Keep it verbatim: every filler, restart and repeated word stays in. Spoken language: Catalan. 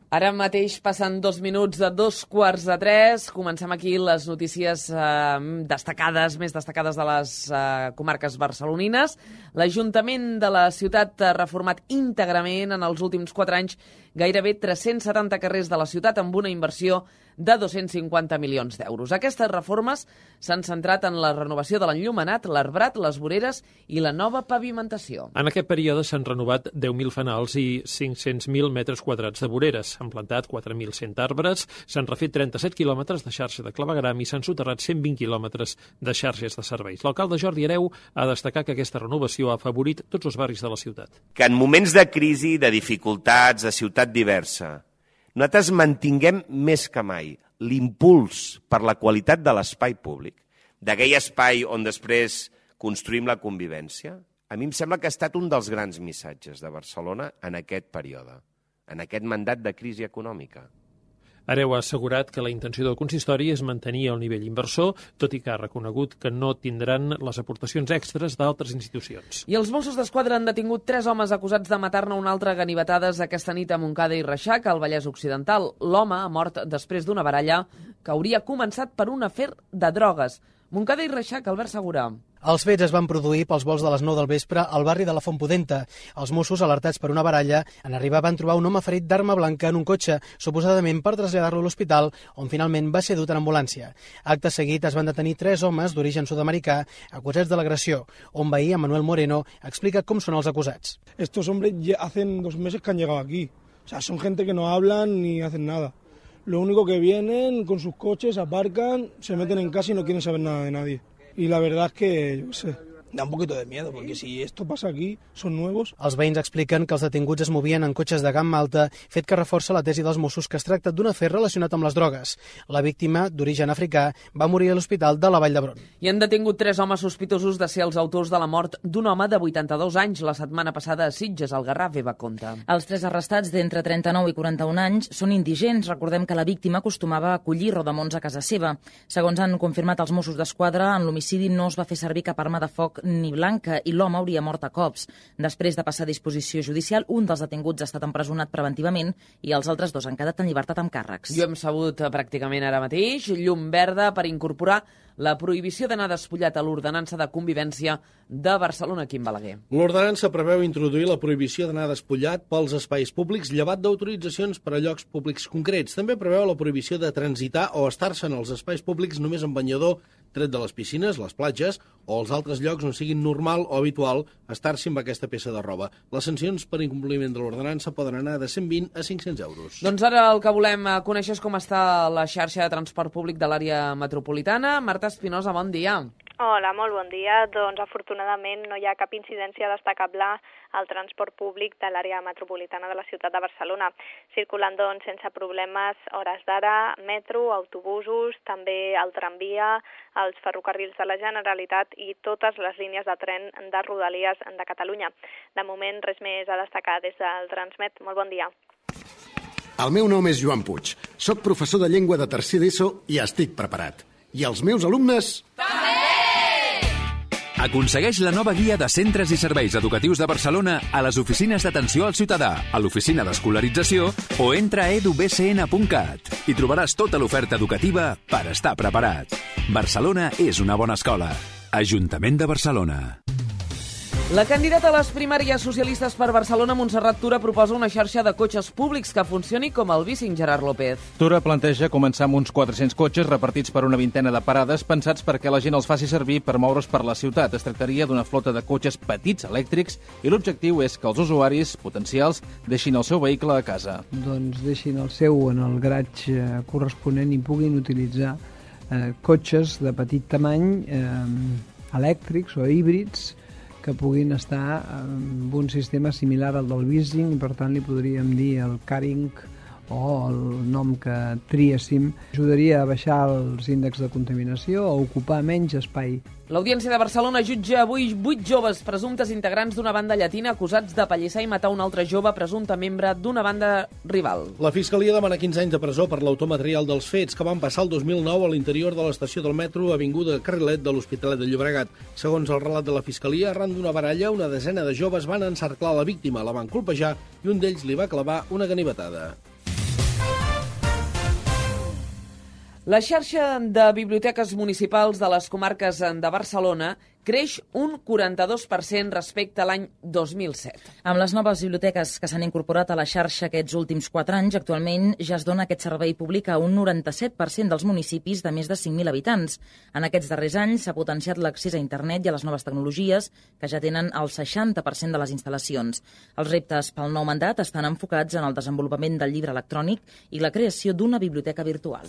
Ara mateix passen dos minuts de dos quarts de tres. Comencem aquí les notícies eh, destacades, més destacades de les eh, comarques barcelonines. L'Ajuntament de la ciutat ha reformat íntegrament en els últims quatre anys gairebé tres-cents setanta carrers de la ciutat amb una inversió de dos-cents cinquanta milions d'euros. Aquestes reformes s'han centrat en la renovació de l'enllumenat, l'arbrat, les voreres i la nova pavimentació. En aquest període s'han renovat deu mil fanals i cinc-cents mil metres quadrats de voreres. S'han plantat quatre mil cent arbres, s'han refet trenta-set quilòmetres de xarxa de clavegueram i s'han soterrat cent vint quilòmetres de xarxes de serveis. L'alcalde Jordi Hereu ha destacat que aquesta renovació ha afavorit tots els barris de la ciutat. Que en moments de crisi, de dificultats, de ciutat diversa, nosaltres mantinguem més que mai l'impuls per la qualitat de l'espai públic, d'aquell espai on després construïm la convivència. A mi em sembla que ha estat un dels grans missatges de Barcelona en aquest període, en aquest mandat de crisi econòmica. Hereu ha assegurat que la intenció del consistori és mantenir el nivell inversor, tot i que ha reconegut que no tindran les aportacions extres d'altres institucions. I els Mossos d'Esquadra han detingut tres homes acusats de matar-ne un altre a ganivetades aquesta nit a Montcada i Reixac, al Vallès Occidental. L'home ha mort després d'una baralla que hauria començat per un afer de drogues. Montcada i Reixac, Albert Segura. Els fets es van produir pels volts de les nou del vespre al barri de la Font Pudenta. Els Mossos, alertats per una baralla, en arribar van trobar un home ferit d'arma blanca en un cotxe, suposadament per traslladar-lo a l'hospital, on finalment va ser dut en ambulància. Acte seguit es van detenir tres homes d'origen sud-americà acusats de l'agressió. Un veí, Manuel Moreno, explica com són els acusats. Estos hombres ya hacen dos meses que han llegado aquí. O sea, son gente que no hablan ni hacen nada. Lo único que vienen con sus coches, aparcan, se meten en casa y no quieren saber nada de nadie. Y la verdad es que, yo qué sé, da un poquito de miedo, porque si esto pasa aquí, son nuevos. Els veïns expliquen que els detinguts es movien en cotxes de gamma alta, fet que reforça la tesi dels Mossos que es tracta d'un afer relacionat amb les drogues. La víctima, d'origen africà, va morir a l'hospital de la Vall d'Hebron. I han detingut tres homes sospitosos de ser els autors de la mort d'un home de vuitanta-dos anys la setmana passada a Sitges, al Garraf, Eva Conta. Els tres arrestats d'entre trenta-nou i quaranta-un anys són indigents. Recordem que la víctima acostumava a collir rodamons a casa seva. Segons han confirmat els Mossos d'Esquadra, en l'homicidi no es va fer servir cap arma de foc ni blanca i l'home hauria mort a cops. Després de passar a disposició judicial, un dels detinguts ha estat empresonat preventivament i els altres dos han quedat en llibertat amb càrrecs. Jo hem sabut pràcticament ara mateix llum verda per incorporar la prohibició d'anar despullat a l'ordenança de convivència de Barcelona, Quim Balaguer. L'ordenança preveu introduir la prohibició d'anar despullat pels espais públics llevat d'autoritzacions per a llocs públics concrets. També preveu la prohibició de transitar o estar-se en els espais públics només amb banyador, tret de les piscines, les platges o els altres llocs on siguin normal o habitual estar-s'hi amb aquesta peça de roba. Les sancions per incompliment de l'ordenança poden anar de cent vint a cinc-cents euros. Doncs ara el que volem conèixer és com està la xarxa de transport públic de l'àrea metropolitana. Marta Espinosa, bon dia. Hola, molt bon dia. Doncs afortunadament no hi ha cap incidència destacable al transport públic de l'àrea metropolitana de la ciutat de Barcelona. Circulant doncs sense problemes hores d'ara, metro, autobusos, també el tramvia, els ferrocarrils de la Generalitat i totes les línies de tren de Rodalies de Catalunya. De moment res més a destacar des del Transmet. Molt bon dia. El meu nom és Joan Puig. Soc professor de llengua de tercer d'ESO i estic preparat. I els meus alumnes... També! Aconsegueix la nova guia de centres i serveis educatius de Barcelona a les oficines d'atenció al ciutadà, a l'oficina d'escolarització o entra a edu b c n punt cat i trobaràs tota l'oferta educativa per estar preparat. Barcelona és una bona escola. Ajuntament de Barcelona. La candidata a les primàries socialistes per Barcelona, Montserrat Tura, proposa una xarxa de cotxes públics que funcioni com el bicing Gerard López. Tura planteja començar amb uns quatre-cents cotxes repartits per una vintena de parades pensats perquè la gent els faci servir per moure's per la ciutat. Es tractaria d'una flota de cotxes petits, elèctrics, i l'objectiu és que els usuaris potencials deixin el seu vehicle a casa. Doncs deixin el seu en el garatge corresponent i puguin utilitzar eh, cotxes de petit tamany, eh, elèctrics o híbrids, que puguin estar amb un sistema similar al del leasing i per tant li podríem dir el caring o el nom que triéssim. Ajudaria a baixar els índexs de contaminació o ocupar menys espai. L'Audiència de Barcelona jutja avui vuit joves presumptes integrants d'una banda llatina acusats de pallissar i matar un altre jove presumpte membre d'una banda rival. La Fiscalia demana quinze anys de presó per l'autor material dels fets que van passar el dos mil nou a l'interior de l'estació del metro Avinguda Carrilet de l'Hospitalet de Llobregat. Segons el relat de la Fiscalia, arran d'una baralla, una desena de joves van encerclar la víctima, la van colpejar i un d'ells li va clavar una ganivetada. La xarxa de biblioteques municipals de les comarques de Barcelona creix un quaranta-dos per cent respecte a l'any dos mil set. Amb les noves biblioteques que s'han incorporat a la xarxa aquests últims quatre anys, actualment ja es dona aquest servei públic a un noranta-set per cent dels municipis de més de cinc mil habitants. En aquests darrers anys s'ha potenciat l'accés a internet i a les noves tecnologies, que ja tenen el seixanta per cent de les instal·lacions. Els reptes pel nou mandat estan enfocats en el desenvolupament del llibre electrònic i la creació d'una biblioteca virtual.